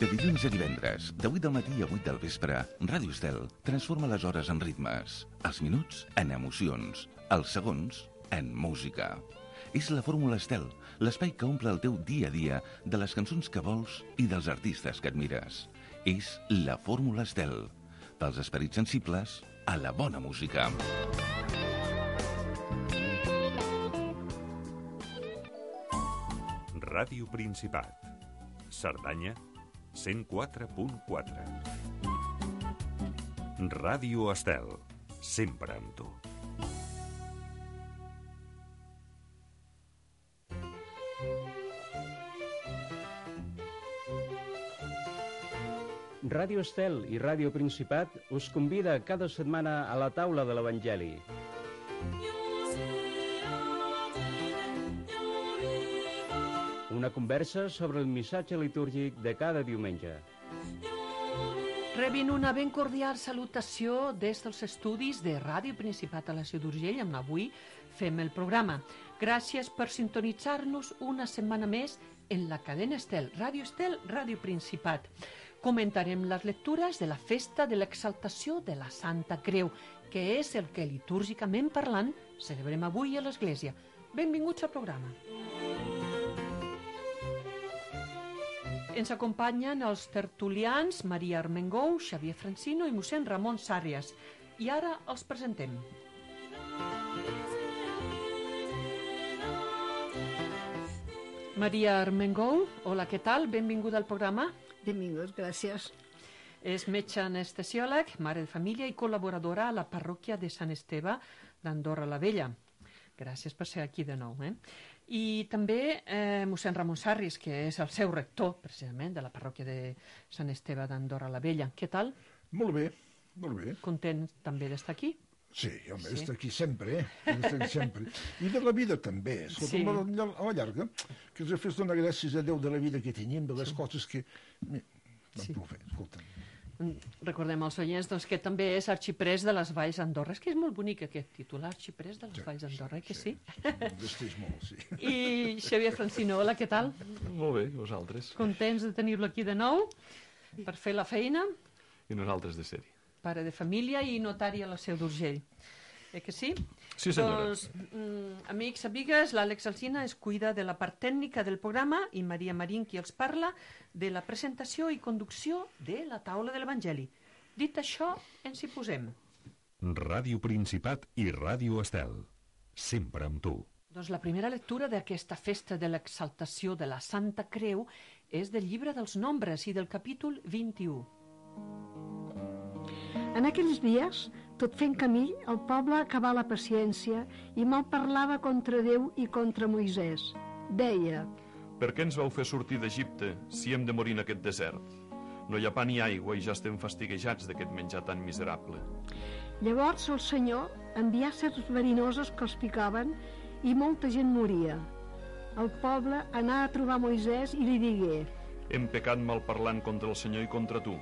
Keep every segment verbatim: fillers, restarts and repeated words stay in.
De dilluns a divendres, de vuit del matí a vuit del vespre, Ràdio Estel transforma les hores en ritmes, els minuts en emocions, els segons en música. És la Fórmula Estel, l'espai que omple el teu dia a dia de les cançons que vols i dels artistes que admires. És la Fórmula Estel, pels esperits sensibles a la bona música. Ràdio Principat. Cerdanya, cent quatre punt quatre. Ràdio Estel, sempre amb tu. Ràdio Estel i Ràdio Principat us convida cada setmana a la taula de l'Evangeli. Una conversa sobre el missatge litúrgic de cada diumenge. Rebin una ben cordial salutació des dels estudis de Ràdio Principat a la Seu d'Urgell, on avui fem el programa. Gràcies per sintonitzar-nos una setmana més en la cadena Estel, Ràdio Estel, Ràdio Principat. Comentarem les lectures de la festa de l'exaltació de la Santa Creu, que és el que litúrgicament parlant celebrem avui a l'Església. Benvinguts al programa. Ens acompanyen els tertulians Maria Armengou, Xavier Francino i mossèn Ramon Sàrrias. I ara els presentem. Maria Armengou, hola, què tal? Benvinguda al programa. Benvingut, gràcies. És metge anestesiòleg, mare de família i col·laboradora a la parròquia de Sant Esteve d'Andorra la Vella. Gràcies per ser aquí de nou. Eh? I també eh, mossèn Ramon Sàrrias, que és el seu rector, precisament, de la parròquia de Sant Esteve d'Andorra la Vella. Què tal? Molt bé, molt bé. Content també d'estar aquí? Sí, home, sí. Estar aquí sempre, eh? Estar sempre. I de la vida també. Escolta, sí. a, la, a la llarga, que ens fes donar gràcies a Déu de la vida que tenim, de les sí. coses que... Vam sí. fer, escolta. Recordem als oients doncs, que també és arxiprés de les Valls d'Andorra. És que és molt bonic aquest títol, arxiprés de les sí, Valls d'Andorra, sí, que sí? sí? molt, sí. I Xavier Francino, hola, què tal? Molt bé, vosaltres. Contents de tenir-lo aquí de nou per fer la feina? I nosaltres de ser-hi. Pare de família i notari a la Seu d'Urgell. Eh que sí? Sí, senyora. Doncs, mm, amics, amigues, l'Àlex Alsina es cuida de la part tècnica del programa i Maria Marín, qui els parla, de la presentació i conducció de la taula de l'Evangeli. Dit això, ens hi posem. Ràdio Principat i Ràdio Estel, sempre amb tu. Doncs la primera lectura d'aquesta festa de l'exaltació de la Santa Creu és del llibre dels Nombres i del capítol vint-i-u. En aquells dies, tot fent camí, el poble acabà la paciència i mal parlava contra Déu i contra Moisès. Deia: Per què ens vau fer sortir d'Egipte si hem de morir en aquest desert? No hi ha pa ni aigua i ja estem fastiguejats d'aquest menjar tan miserable. Llavors el Senyor envià serps verinoses que els picaven i molta gent moria. El poble anà a trobar Moisès i li digué: Hem pecat malparlant contra el Senyor i contra tu.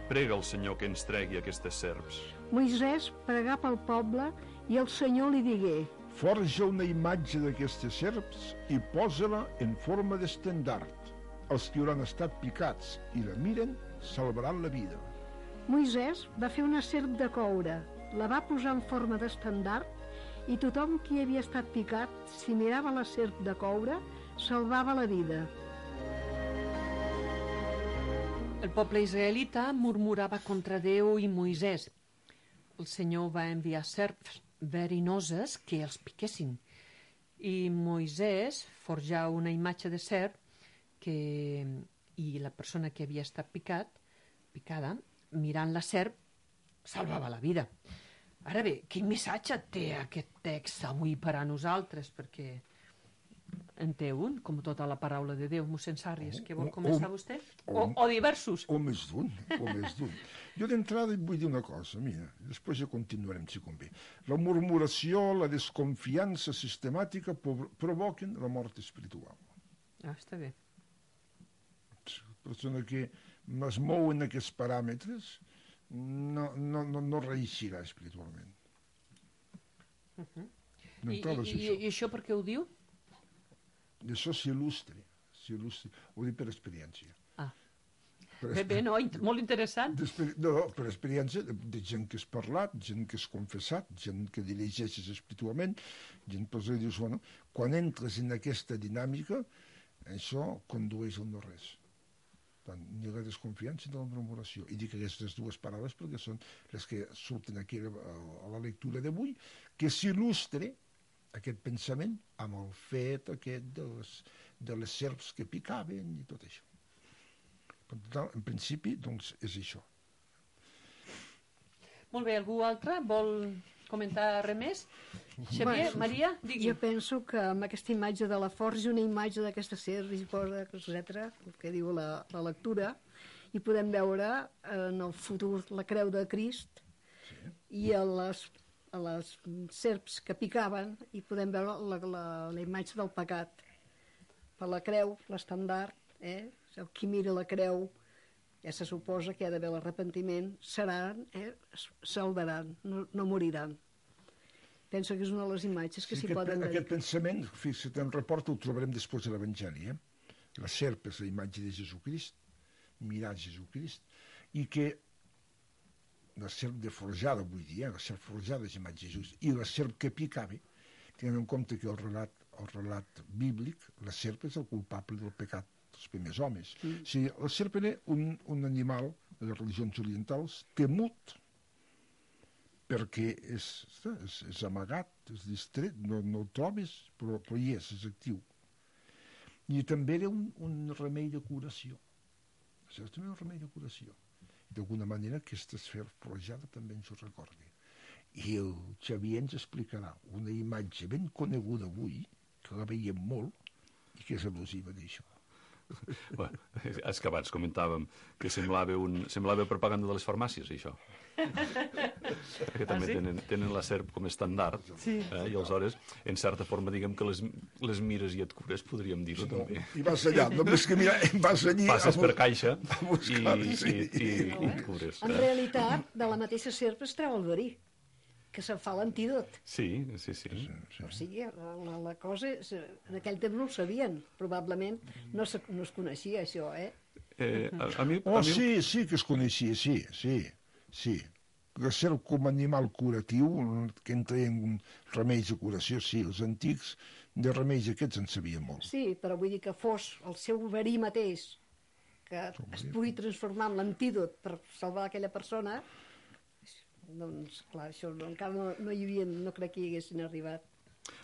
Prega el Senyor que ens tregui aquestes serps. Moisès pregà pel poble i el Senyor li digué: Forja una imatge d'aquestes serps i posa-la en forma d'estendard. Els que hauran estat picats i la miren salvaran la vida. Moisès va fer una serp de coure, la va posar en forma d'estendard i tothom qui havia estat picat, si mirava la serp de coure, salvava la vida. El poble israelita murmurava contra Déu i Moisès. El Senyor va enviar serps verinoses que els piquessin. I Moisès forjà una imatge de serp que, i la persona que havia estat picat, picada, mirant la serp, salvava la vida. Ara bé, quin missatge té aquest text avui per a nosaltres? Perquè en té un, com tota la paraula de Déu. Mossèn Sàrrias, què vol començar vostè? O, o diversos? O més d'un, o més d'un. Jo d'entrada vull dir una cosa, mira, després ja continuarem si convé. La murmuració, la desconfiança sistemàtica provoquen la mort espiritual. Ah, està bé. La persona que es mou en aquests paràmetres no, no, no, no reeixirà espiritualment. Uh-huh. I, i, I això per què ho diu? Això s'il·lustra, s'il·lustra, ho dic per experiència. Ah. Bé, bé, no, molt interessant. No, per experiència de gent que has parlat, gent que has confessat, gent que dirigeixes espiritualment, gent que dius, bueno, quan entres en aquesta dinàmica, això condueix a no res. Tant, ni la desconfiança ni la murmuració. I dic aquestes dues paraules perquè són les que surten aquí a la lectura d'avui, que s'il·lustre aquest pensament amb el fet aquest de les, de les serps que picaven i tot això. Per tant, en principi, doncs, és això. Molt bé, algú altre vol comentar res més? Xavier, Bueno, Maria, digui. Jo penso que amb aquesta imatge de la forja, una imatge d'aquesta serp, etcètera, el que diu la, la lectura, i podem veure en el futur la creu de Crist sí. i a les, a les serps que picaven, i podem veure la, la, la imatge del pecat. Per la creu, l'estandard, eh? Qui mira la creu, ja se suposa que hi ha d'haver l'arrepentiment, seran, eh? salvaran, no, no moriran. Penso que és una de les imatges que s'hi sí, poden dedicar. Aquest dedicar. pensament, fixa't, en report ho trobarem després de l'Evangeli. Eh? La serp és la imatge de Jesucrist, mirar Jesucrist, i que la serp de forjada, vull dir, eh? la serp forjada és la imatge de Jesucrist, i la serp que picava, tenint en compte que el relat, el relat bíblic, la serp és el culpable del pecat dels primers homes. Mm. O sigui, la serp era un, un animal de les religions orientals temut, perquè és, és, és amagat, és distret, no, no el trobes, però, però hi és, és actiu. I també era un, un remei de curació. Això és també un remei de curació. D'alguna manera aquesta esfera forjada també ens ho recorda. I el Xavier ens explicarà una imatge ben coneguda avui, que la veiem molt, i que és al·lusiva d'això. Bueno, és que abans comentàvem que semblava, un, semblava propaganda de les farmàcies, això. Que també ah, sí? tenen, tenen la serp com a estandard, sí. eh? I aleshores, en certa forma, diguem que les, les mires i et cures, podríem dir-ho, no, també. I vas allà, només que mira, vas allí... Passes per caixa buscar, i, sí. i, i, i et cures. En realitat, de la mateixa serp es treu el verí, que se'n fa l'antídot. Sí, sí, sí. sí, sí. O sigui, la, la cosa, és, en aquell temps no ho sabien, probablement no, se, no es coneixia això, eh? eh a, a mi, oh, a mi... sí, sí que es coneixia, sí, sí, sí. La serp com a animal curatiu, que entra en remeis de curació, sí, els antics de remeis aquests en sabien molt. Sí, però vull dir que fos el seu verí mateix, que es pugui transformar en l'antídot per salvar aquella persona, doncs, clar, això no, encara no, no hi havia, no crec que hi haguessin arribat.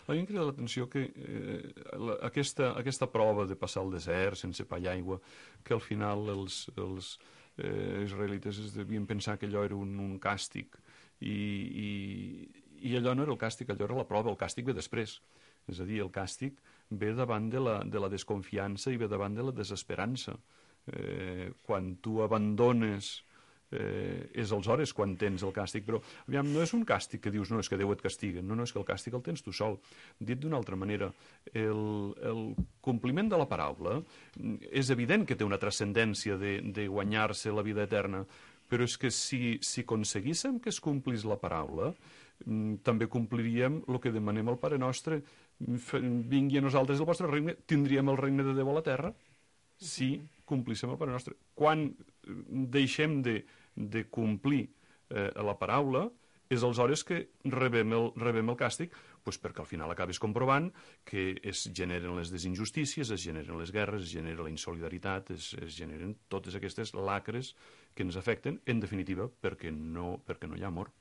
A mi em crida l'atenció que eh, la, aquesta, aquesta prova de passar el desert sense pa i aigua, que al final els, els eh, israelites es devien pensar que allò era un, un càstig, i, i, i allò no era el càstig, allò era la prova, el càstig ve després. És a dir, el càstig ve davant de la, de la desconfiança i ve davant de la desesperança. Eh, quan tu abandones... Eh, és aleshores quan tens el càstig, però aviam, no és un càstig que dius no, és que Déu et castiga, no, no, és que el càstig el tens tu sol. Dit d'una altra manera, el, el compliment de la paraula és evident que té una transcendència de, de guanyar-se la vida eterna, però és que si, si aconseguíssim que es complís la paraula, també compliríem el que demanem al Pare Nostre, vingui a nosaltres el vostre regne, tindríem el regne de Déu a la terra, si complíssim el Pare Nostre. Quan deixem de de complir eh, la paraula, és aleshores que rebem el, rebem el càstig, doncs perquè al final acabes comprovant que es generen les desinjustícies, es generen les guerres, es genera la insolidaritat, es, es generen totes aquestes lacres que ens afecten, en definitiva, perquè no, perquè no hi ha amor.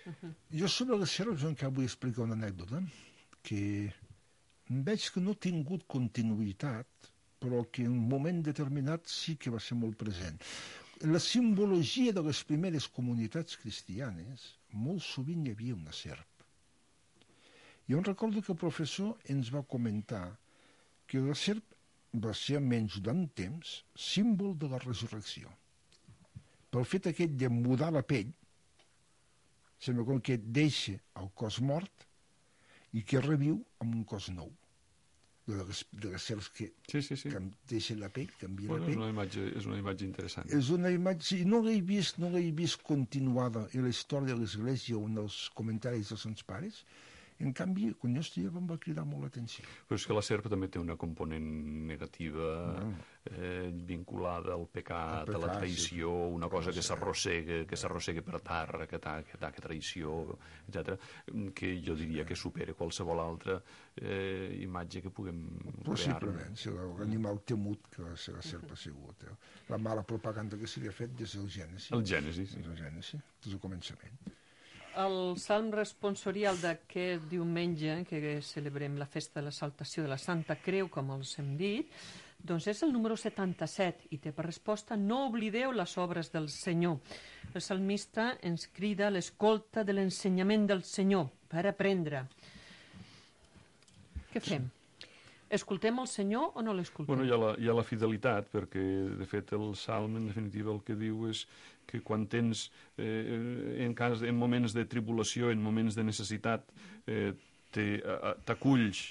Uh-huh. Jo sobre les serps encara vull explicar una anècdota, que veig que no ha tingut continuïtat, però que en un moment determinat sí que va ser molt present. La simbologia de les primeres comunitats cristianes, molt sovint hi havia una serp. Jo em recordo que el professor ens va comentar que la serp va ser, almenys durant temps, símbol de la resurrecció. Pel fet aquest de mudar la pell, sembla com que deixa el cos mort i que reviu amb un cos nou. De les, de les serps que, sí, sí, sí. que deixen la pell, canvien bueno, la pell. És una imatge, és una imatge interessant. És una imatge, sí, no l'he vist, no l'he vist continuada en la història de l'Església o en els comentaris dels Sants Pares, En canvi, quan jo estudiava em va cridar molt l'atenció. Però és que la serp també té una component negativa eh, vinculada al pecat, pecat, a la traïció, sí. una cosa que s'arrossega, que s'arrossega per terra, que ataca, que traïció, etcètera, que jo diria que supera qualsevol altra eh, imatge que puguem crear. Possiblement, si l'animal temut que la serp ha sigut. Eh? La mala propaganda que se li ha fet des del Gènesi. El Gènesi, sí. Des del Gènesi, des del començament. El salm responsorial d'aquest diumenge, que celebrem la festa de l'exaltació de la Santa Creu, com els hem dit, doncs és el número setanta-set i té per resposta: no oblideu les obres del Senyor. El salmista ens crida a l'escolta de l'ensenyament del Senyor per aprendre. Què fem? Escoltem el Senyor o no l'escoltem? Bueno, hi ha, la, hi ha la fidelitat, perquè, de fet, el salm, en definitiva, el que diu és que quan tens, eh, en, cas, en moments de tribulació, en moments de necessitat, eh, t'aculls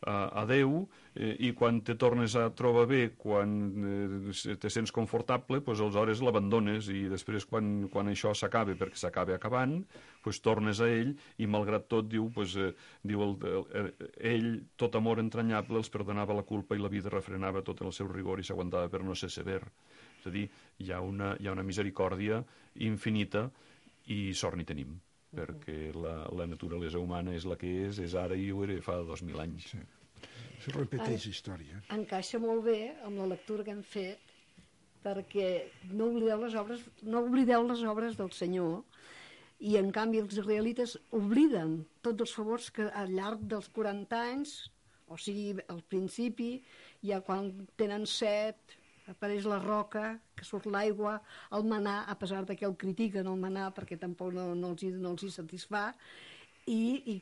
a, a Déu, eh, i quan te tornes a trobar bé, quan eh, te sents confortable, doncs aleshores l'abandones, i després quan, quan això s'acaba, perquè s'acaba acabant, doncs tornes a ell, i malgrat tot diu, doncs, eh, diu el, el, ell, tot amor entranyable, els perdonava la culpa i la vida refrenava tot el seu rigor i s'aguantava per no ser sever. És a dir, hi ha una, hi ha una misericòrdia infinita i sort n'hi tenim, perquè la, la naturalesa humana és la que és, és ara i ho era fa dos mil anys. Sí. Això repeteix història. Encaixa molt bé amb la lectura que hem fet, perquè no oblideu les obres, no oblideu les obres del Senyor, i en canvi els israelites obliden tots els favors que al llarg dels quaranta anys, o sigui, al principi, ja quan tenen set, apareix la roca, que surt l'aigua, el manà, a pesar de que el critiquen el manà perquè tampoc no, no, els, no els hi satisfà, i, i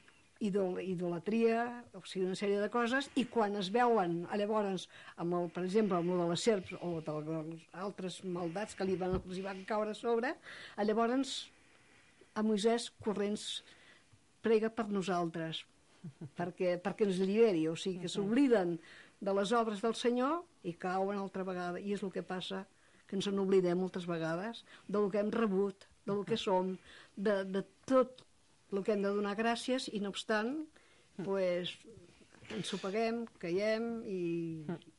idolatria, o sigui, una sèrie de coses, i quan es veuen, llavors, amb el, per exemple, amb el de les serps o de les altres maldats que li van, els hi van caure a sobre, llavors a Moisès corrents prega per nosaltres, perquè, perquè ens lliberi, o sigui, que s'obliden de les obres del Senyor i cauen altra vegada, i és el que passa, que ens n'oblidem moltes vegades del que hem rebut, del que som, de, de tot el que hem de donar gràcies, i no obstant pues, ens ho paguem, caiem i...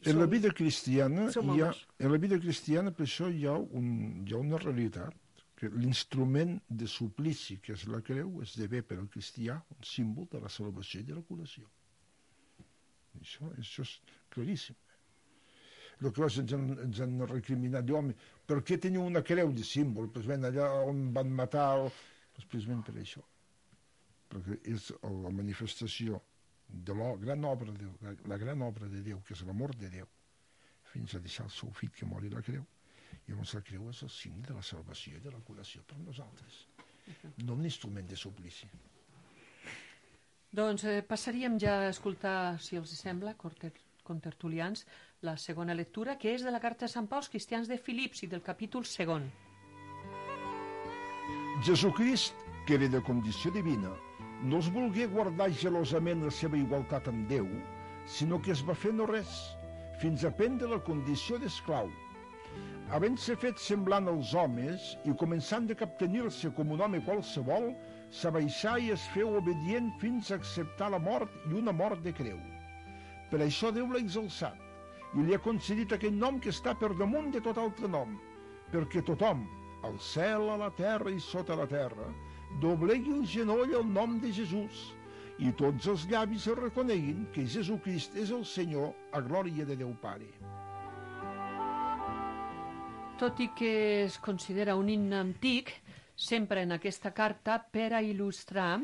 I en la vida cristiana hi ha, homes. en la vida cristiana per això hi ha, un, hi ha una realitat, que l'instrument de suplici, que és la creu, esdevé per al cristià un símbol de la salvació i de la curació. Això, això és claríssim. El que ens han, ens han recriminat, diu, home, per què teniu una creu de símbol? Pues ben allà on van matar... El... Pues precisament per això. Perquè és la manifestació de la gran obra de Déu, la, la gran obra de Déu, que és l'amor de Déu, fins a deixar el seu fill que mori la creu. I llavors la creu és el signe de la salvació i de la curació per nosaltres. No un instrument de suplici. Doncs eh, passaríem ja a escoltar, si els sembla, contertulians, la segona lectura, que és de la carta de Sant Pau als cristians de Filips i del capítol segon. Jesucrist, que era de condició divina, no es volgué guardar gelosament la seva igualtat amb Déu, sinó que es va fer no res, fins a prendre la condició d'esclau. Havent-se fet semblant als homes i començant de captenir-se com un home qualsevol, s'abaixà i es feu obedient fins a acceptar la mort i una mort de creu. Per això Déu l'ha exalçat i li ha concedit aquell nom que està per damunt de tot altre nom, perquè tothom, al cel, a la terra i sota la terra, doblegui el genoll al nom de Jesús i tots els llavis el reconeguin que Jesucrist és el Senyor, a glòria de Déu Pare. Tot i que es considera un himne antic, sempre en aquesta carta per a il·lustrar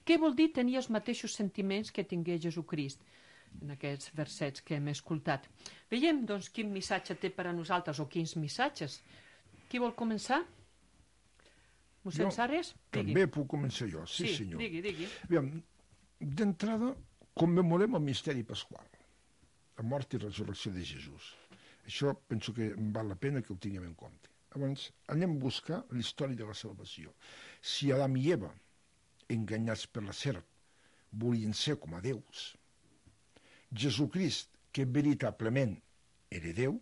què vol dir tenir els mateixos sentiments que tingué Jesucrist, en aquests versets que hem escoltat. Veiem, doncs, quin missatge té per a nosaltres, o quins missatges. Qui vol començar? Mossèn Sàrries? També puc començar jo, sí, sí senyor. digui, digui. Aviam, d'entrada, commemorem el misteri pasqual, la mort i resurrecció de Jesús. Això penso que val la pena que ho tinguem en compte. Llavors, anem a buscar la història de la salvació. Si Adam i Eva, enganyats per la serp, volien ser com a déus, Jesucrist, que veritablement era Déu,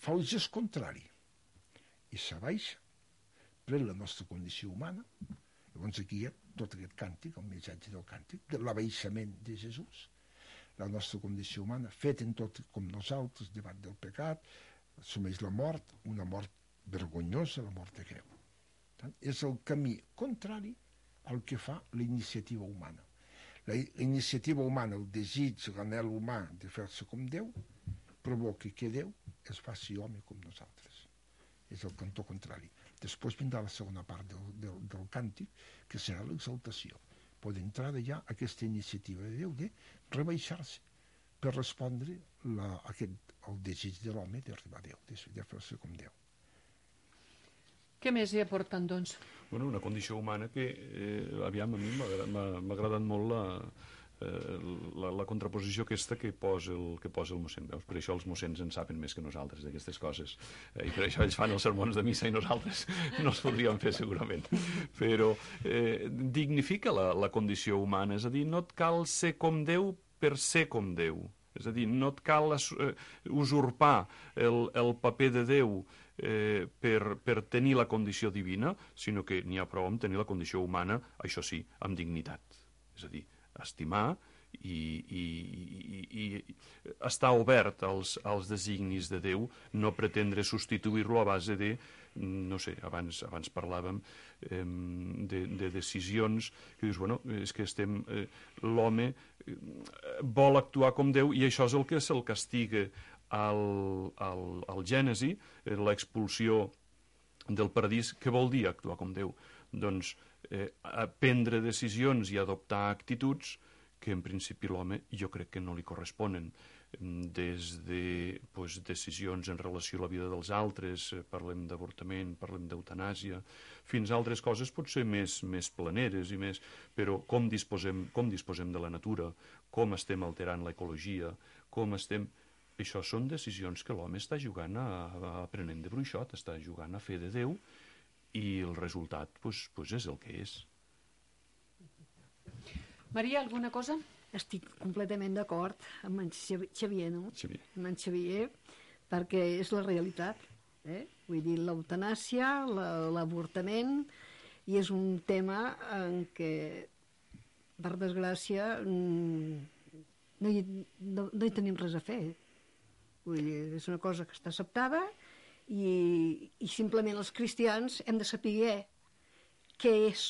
fa el gest contrari i s'abaixa, pren la nostra condició humana. Llavors aquí hi ha tot aquest càntic, el missatge del càntic, de l'abaixament de Jesús, la nostra condició humana, fet en tot com nosaltres, davant del pecat, assumeix la mort, una mort vergonyosa, la mort de creu. Tant, és el camí contrari al que fa la iniciativa humana. La iniciativa humana, el desig, l'anhel humà de fer-se com Déu, provoca que Déu es faci home com nosaltres. És el cantó contrari. Després vindrà la segona part del, del, del càntic, que serà l'exaltació. Pot entrar ja aquesta iniciativa de Déu de rebaixar-se per respondre la, aquest, el desig de l'home d'arribar a Déu, de, de fer-se com Déu. Què més hi aporten, doncs? Bueno, una condició humana que, eh, aviam, a mi m'ha agradat molt la, eh, la, la contraposició aquesta que posa el, que posa el mossèn. Veus? Per això els mossens en saben més que nosaltres d'aquestes coses. Eh, I per això ells fan els sermons de missa i nosaltres no els podríem fer segurament. Però eh, dignifica la, la condició humana, és a dir, no et cal ser com Déu per ser com Déu. És a dir, no et cal eh, usurpar el, el paper de Déu eh, per, per tenir la condició divina, sinó que n'hi ha prou amb tenir la condició humana, això sí, amb dignitat. És a dir, estimar i, i, i, i estar obert als, als designis de Déu, no pretendre substituir-lo a base de, no sé, abans, abans parlàvem eh, de, de decisions que dius, bueno, és que estem, eh, l'home eh, vol actuar com Déu i això és el que se'l castiga al, al, al Gènesi, eh, l'expulsió del paradís. Què vol dir actuar com Déu? Doncs eh, prendre decisions i adoptar actituds que en principi l'home jo crec que no li corresponen, des de pues, decisions en relació a la vida dels altres, eh, parlem d'avortament, parlem d'eutanàsia, fins a altres coses potser més, més planeres i més, però com disposem, com disposem de la natura, com estem alterant l'ecologia, com estem... Això són decisions que l'home està jugant a, a aprenent de bruixot, està jugant a fer de Déu, i el resultat pues, pues és el que és. Maria, alguna cosa? Estic completament d'acord amb en Xavier, no? Xavier. Amb en Xavier, perquè és la realitat. Eh? Vull dir, l'eutanàsia, l'avortament, i és un tema en què, per desgràcia, no hi, no, no hi tenim res a fer. Vull dir, és una cosa que està acceptada i, i simplement els cristians hem de saber què és,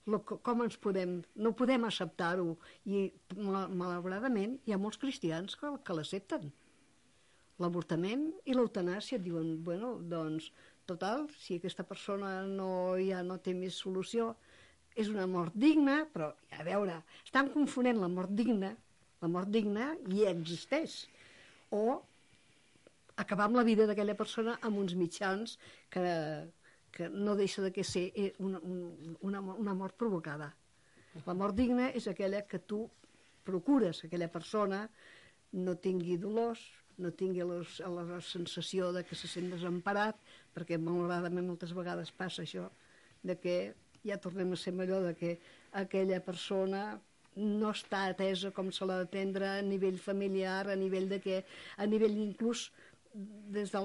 lo, com ens podem... No podem acceptar-ho i, malauradament, hi ha molts cristians que, que l'accepten. L'avortament i l'eutanàsia diuen, bueno, doncs, total, si aquesta persona no, ja no té més solució, és una mort digna, però, a veure, estan confonent la mort digna, la mort digna ja existeix, o acabar amb la vida d'aquella persona amb uns mitjans que, que no deixa de ser una, una, una mort provocada. La mort digna és aquella que tu procures, aquella persona no tingui dolors, no tingui los, la, la sensació de que se sent desemparat, perquè malauradament moltes vegades passa això, de que ja tornem a ser allò de que aquella persona no està atesa com se l'ha d'atendre a nivell familiar, a nivell de que, a nivell inclús des de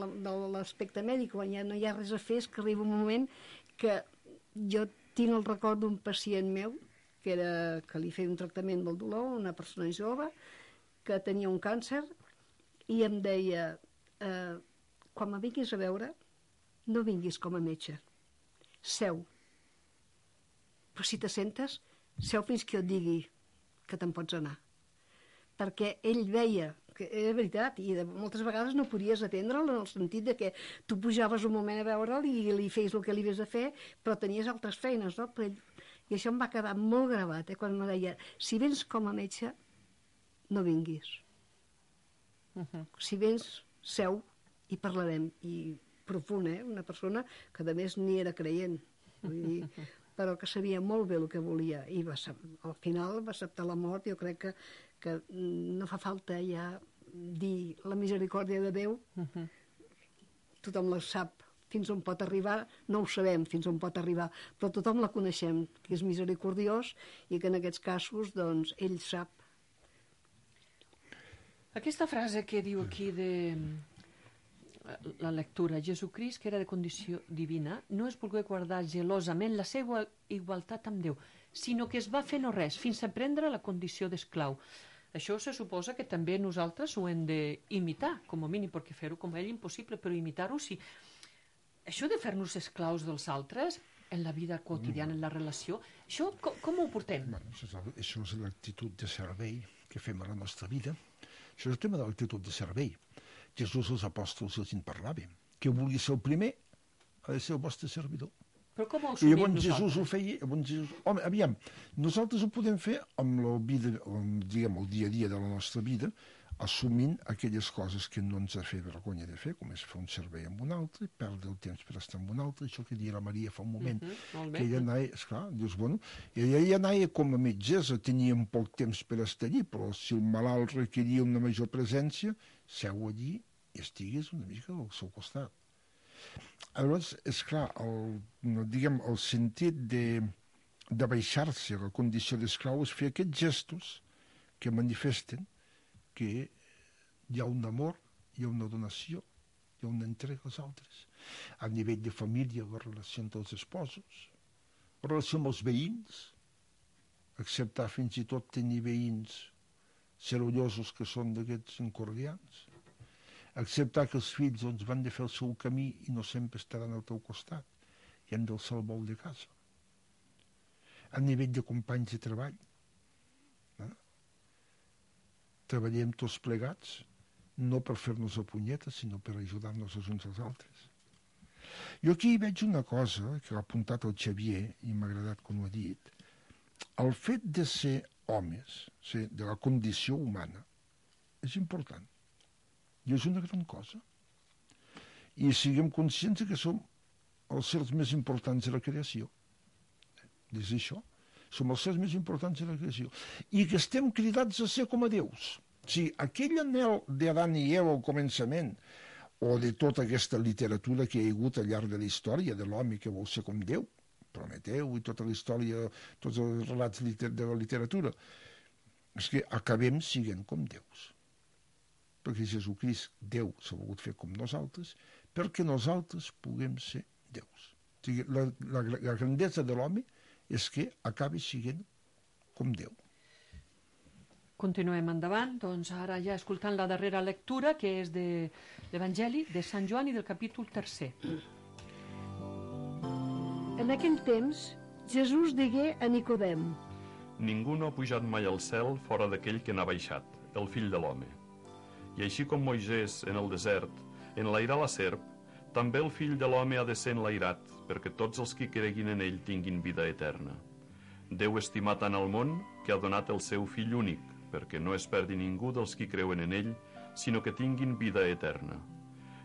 l'aspecte mèdic, quan ja no hi ha res a fer, és que arriba un moment que jo tinc el record d'un pacient meu, que, era, que li feia un tractament del dolor, una persona jove, que tenia un càncer, i em deia, eh, quan me vinguis a veure, no vinguis com a metge, seu. Però si te sentes, seu fins que jo et digui que te'n pots anar. Perquè ell veia, que era veritat, i de, moltes vegades no podies atendre'l en el sentit de que tu pujaves un moment a veure'l i li feies el que li havies de fer, però tenies altres feines, no? Però ell, i això em va quedar molt gravat, eh? Quan em deia, si vens com a metge, no vinguis. Uh-huh. Si vens, seu i parlarem. I profund, eh? Una persona que a més ni era creient. Vull dir, però que sabia molt bé el que volia i va, al final va acceptar la mort. Jo crec que, que no fa falta ja dir la misericòrdia de Déu. Uh-huh. Tothom la sap fins on pot arribar, no ho sabem fins on pot arribar, però tothom la coneixem, que és misericordiós i que en aquests casos doncs, ell sap. Aquesta frase que diu aquí de la lectura. Jesucrist, que era de condició divina, no es volgué guardar gelosament la seva igualtat amb Déu, sinó que es va fer no res, fins a prendre la condició d'esclau. Això se suposa que també nosaltres ho hem d'imitar, com a mínim, perquè fer-ho com ell impossible, però imitar-ho sí. Això de fer-nos esclaus dels altres, en la vida quotidiana, en la relació, això com, com ho portem? Bueno, això és l'actitud de servei que fem a la nostra vida. Això és el tema de l'actitud de servei. Jesús als apòstols els en parlava. Que vulgui ser el primer ha de ser el vostre servidor. Però com ho I assumim llavors nosaltres? Jesús ho feia... Llavors Jesús... Home, aviam, nosaltres ho podem fer amb la vida, amb, diguem, el dia a dia de la nostra vida, assumint aquelles coses que no ens ha fet vergonya de fer, com és fer un servei amb un altre, perdre el temps per estar amb un altre, això que deia la Maria fa un moment, Uh -huh, molt bé. que ella anava, esclar, dius, bueno, ella anava com a metgessa, tenia un poc temps per estar allí, però si el malalt requeria una major presència, seu allí i estigués una mica al seu costat. Aleshores, esclar, el, diguem, el sentit de, de baixar-se a la condició d'esclau és fer aquests gestos que manifesten que hi ha un amor, hi ha una donació, hi ha una entrega als altres. A nivell de família, la relació entre els esposos, la relació amb els veïns, acceptar fins i tot tenir veïns serollosos que són d'aquests encordians, acceptar que els fills doncs, van de fer el seu camí i no sempre estaran al teu costat i han d'alçar el vol de casa. A nivell de companys de treball, treballem tots plegats, no per fer-nos a punyetes, sinó per ajudar-nos els uns als altres. Jo aquí veig una cosa que ha apuntat el Xavier, i m'ha agradat com ho ha dit. El fet de ser homes, ser de la condició humana, és important. I és una gran cosa. I siguem conscients que som els sers més importants de la creació. És això. Som els sers més importants de la creació. I que estem cridats a ser com a déus. O sigui, aquell anhel d'Adam i Eva al començament, o de tota aquesta literatura que hi ha hagut al llarg de la història de l'home que vol ser com Déu, Prometeu i tota la història, tots els relats de la literatura, és que acabem siguent com déus. Perquè Jesucrist, Déu, s'ha volgut fer com nosaltres, perquè nosaltres puguem ser déus. O sigui, la, la, la grandesa de l'home és que acabi siguent com Déu. Continuem endavant, doncs ara ja escoltant la darrera lectura, que és de l'Evangeli de Sant Joan i del capítol tercer. En aquell temps, Jesús digué a Nicodem: Ningú no ha pujat mai al cel fora d'aquell que n'ha baixat, el fill de l'home. I així com Moisès, en el desert, enlairà la serp, també el fill de l'home ha de ser enlairat, perquè tots els que creguin en ell tinguin vida eterna. Déu estimà tant el món que ha donat el seu fill únic, perquè no es perdi ningú dels qui creuen en ell, sinó que tinguin vida eterna.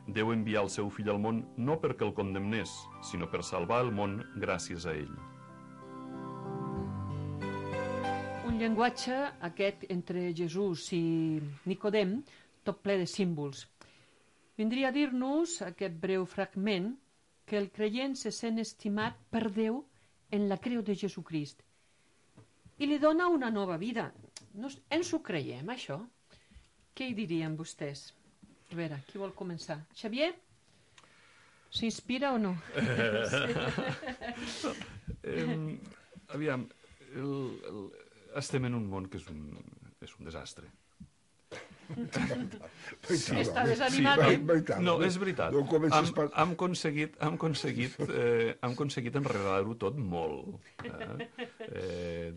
Déu envià el seu fill al món no perquè el condemnés, sinó per salvar el món gràcies a ell. Un llenguatge, aquest, entre Jesús i Nicodem, tot ple de símbols. Vindria a dir-nos, aquest breu fragment, que el creient se sent estimat per Déu en la creu de Jesucrist i li dona una nova vida. No, ens ho creiem, això? Què hi dirien vostès? A veure, qui vol començar? Xavier? S'inspira o no? eh, aviam, el, el, estem en un món que és un, és un desastre. Sí, està desanimat, eh? No, és veritat. No hem, hem aconseguit, hem aconseguit, eh, hem aconseguit enredar-ho tot molt. Eh? Eh,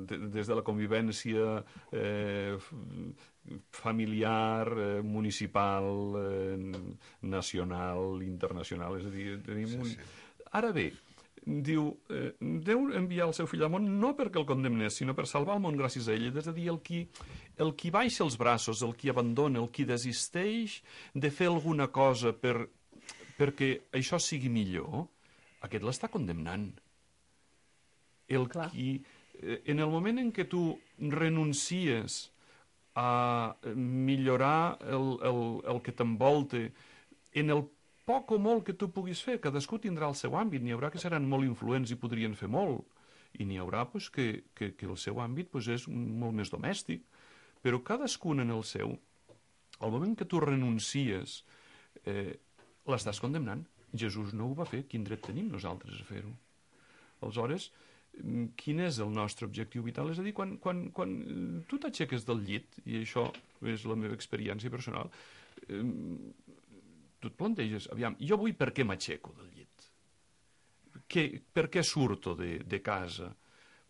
des de la convivència eh, familiar, eh, municipal, eh, nacional, internacional. És a dir, tenim un... Ara bé, diu, eh, Déu enviar el seu fill al món no perquè el condemnés, sinó per salvar el món gràcies a ell. És a dir, el qui, el qui baixa els braços, el qui abandona, el qui desisteix de fer alguna cosa per, perquè això sigui millor, aquest l'està condemnant. El Clar. qui, eh, en el moment en què tu renuncies a millorar el, el, el que t'envolta, en el poc o molt que tu puguis fer, cadascú tindrà el seu àmbit, n'hi haurà que seran molt influents i podrien fer molt, i n'hi haurà pues, que, que, que el seu àmbit pues, és molt més domèstic, però cadascun en el seu, al moment que tu renuncies eh, l'estàs condemnant. Jesús no ho va fer, quin dret tenim nosaltres a fer-ho? Aleshores, quin és el nostre objectiu vital? És a dir, quan, quan, quan tu t'aixeques del llit, i això és la meva experiència personal, eh, tu et planteges, aviam, jo avui per què m'aixeco del llit? Que, per què surto de, de casa?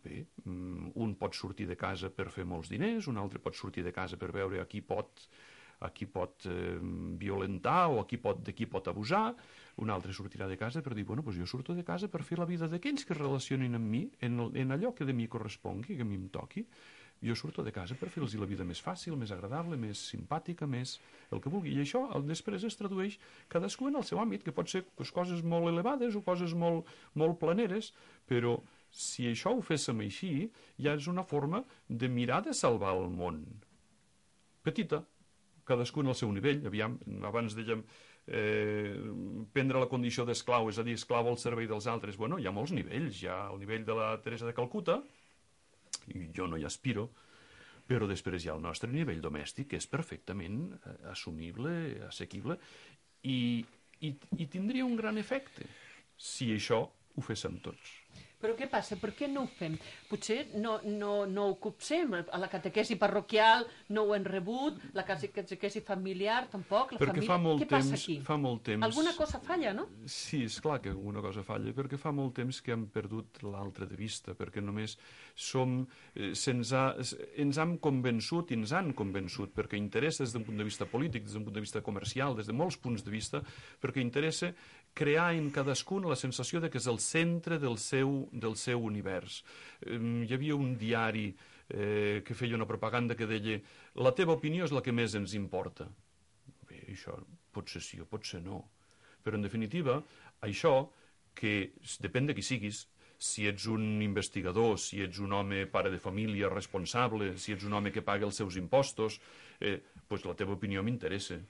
Bé, un pot sortir de casa per fer molts diners, un altre pot sortir de casa per veure a qui pot, a qui pot eh, violentar o a qui pot, de qui pot abusar, un altre sortirà de casa per dir, bueno, doncs jo surto de casa per fer la vida d'aquells que es relacionin amb mi, en, el, en allò que de mi correspongui, que a mi em toqui. Jo surto de casa per fer-los la vida més fàcil, més agradable, més simpàtica, més el que vulgui. I això després es tradueix cadascú en el seu àmbit, que pot ser pues, coses molt elevades o coses molt, molt planeres, però si això ho féssim així, ja és una forma de mirar de salvar el món. Petita, cadascú en el seu nivell. Aviam, abans dèiem eh, prendre la condició d'esclau, és a dir, esclau al servei dels altres. Bueno, hi ha molts nivells. Hi ha el nivell de la Teresa de Calcuta, i jo no hi aspiro, però després hi ha el nostre nivell domèstic, que és perfectament assumible, assequible, i, i, i tindria un gran efecte si això ho féssim tots. Però què passa? Per què no ho fem? Potser no, no, no ho copsem. A la catequesi parroquial no ho hem rebut, la catequesi familiar tampoc, la perquè família... Fa molt què passa temps, aquí? Fa molt temps... Alguna cosa falla, no? Sí, és clar que alguna cosa falla, perquè fa molt temps que hem perdut l'altre de vista, perquè només som... Eh, se'ns ha, ens hem convençut i ens han convençut, perquè interessa des d'un punt de vista polític, des d'un punt de vista comercial, des de molts punts de vista, perquè interessa crear en cadascun la sensació de que és el centre del seu, del seu univers. Eh, hi havia un diari eh, que feia una propaganda que deia la teva opinió és la que més ens importa. Bé, això potser sí o potser no. Però, en definitiva, això, que depèn de qui siguis, si ets un investigador, si ets un home pare de família responsable, si ets un home que paga els seus impostos, eh, pues la teva opinió m'interessa.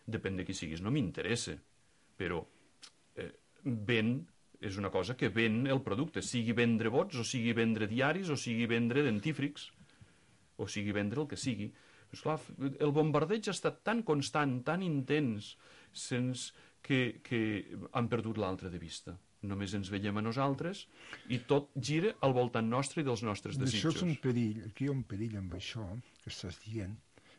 Depèn de qui siguis, no m'interessa. Però eh, ven és una cosa que ven el producte, sigui vendre vots, o sigui vendre diaris, o sigui vendre dentífrics, o sigui vendre el que sigui. Esclar, el bombardeig ha estat tan constant, tan intens, sense que, que han perdut l'altre de vista. Només ens veiem a nosaltres i tot gira al voltant nostre i dels nostres desitjos. Això és un perill, aquí hi ha un perill amb això que estàs dient,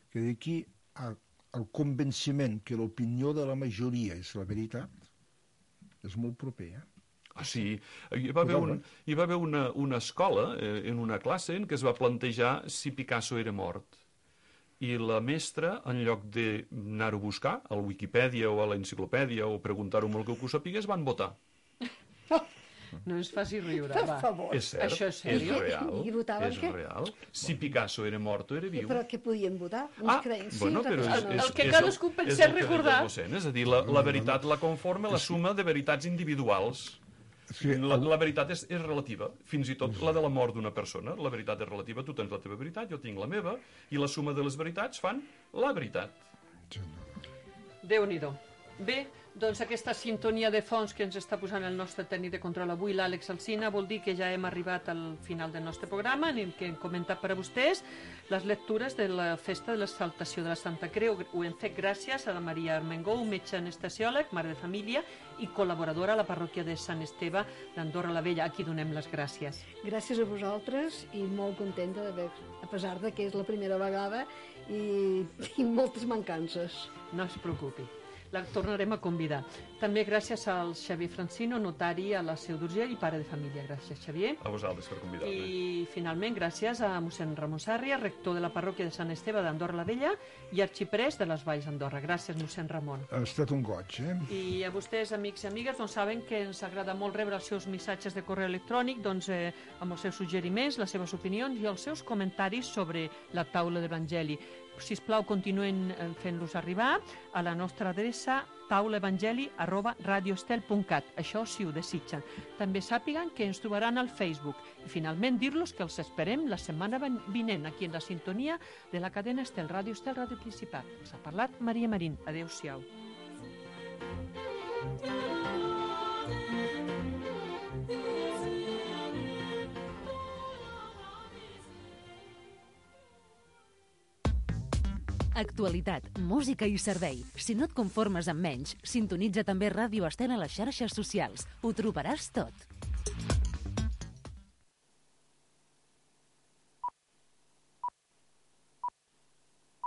que d'aquí al convenciment que l'opinió de la majoria és la veritat, és molt proper, eh? Ah, sí. Hi va haver, un, hi va haver una, una escola, eh, en una classe, en què es va plantejar si Picasso era mort. I la mestra, en lloc d'anar-ho a buscar, al Wikipedia o a l'enciclopèdia, o preguntar-ho molt que ho sapigués, van votar. No ens faci riure, Per va. favor. És cert, Això és seriós? és real. I votaven és què? real. Si Picasso era mort o era viu. Però què podien votar? Ah, creien, sí, bueno, però és, reflexionen. és, El que és cadascú és pensés el que deia recordar. el docent, és a dir, la, la veritat la conforma la suma de veritats individuals. Sí, La, la veritat és, és relativa, fins i tot la de la mort d'una persona. La veritat és relativa, tu tens la teva veritat, jo tinc la meva, i la suma de les veritats fan la veritat. Déu-n'hi-do. Bé, doncs aquesta sintonia de fons que ens està posant el nostre tècnic de control avui, l'Àlex Alsina, vol dir que ja hem arribat al final del nostre programa, en el que hem comentat per a vostès les lectures de la festa de l'exaltació de la Santa Creu. Ho hem fet gràcies a la Maria Armengou, metge anestesiòleg, mare de família i col·laboradora a la parròquia de Sant Esteve d'Andorra la Vella, a qui donem les gràcies. Gràcies a vosaltres i molt contenta d'haver, a pesar de que és la primera vegada i tinc moltes mancances. No es preocupi. La tornarem a convidar. També gràcies al Xavier Francino, notari a la Seu d'Urgell i pare de família. Gràcies, Xavier. A vosaltres per convidar-me. I finalment gràcies a mossèn Ramon Sàrria, rector de la parròquia de Sant Esteve d'Andorra la Vella i arxiprès de les Valls d'Andorra. Gràcies, mossèn Ramon. Ha estat un goig, eh? I a vostès, amics i amigues, doncs saben que ens agrada molt rebre els seus missatges de correu electrònic, doncs eh, amb els seus suggeriments, les seves opinions i els seus comentaris sobre la taula d'Evangeli. Sisplau, continuen fent-los arribar a la nostra adreça taulaevangeli arroba radioestel punt cat. Això si ho desitgen. També sàpiguen que ens trobaran al Facebook. I finalment dir-los que els esperem la setmana vinent aquí en la sintonia de la cadena Estel, Ràdio Estel, Ràdio Principat. Us ha parlat Maria Marín. Adéu-siau. Actualitat, música i servei. Si no et conformes amb menys, sintonitza també Ràdio Estel a les xarxes socials. Ho trobaràs tot.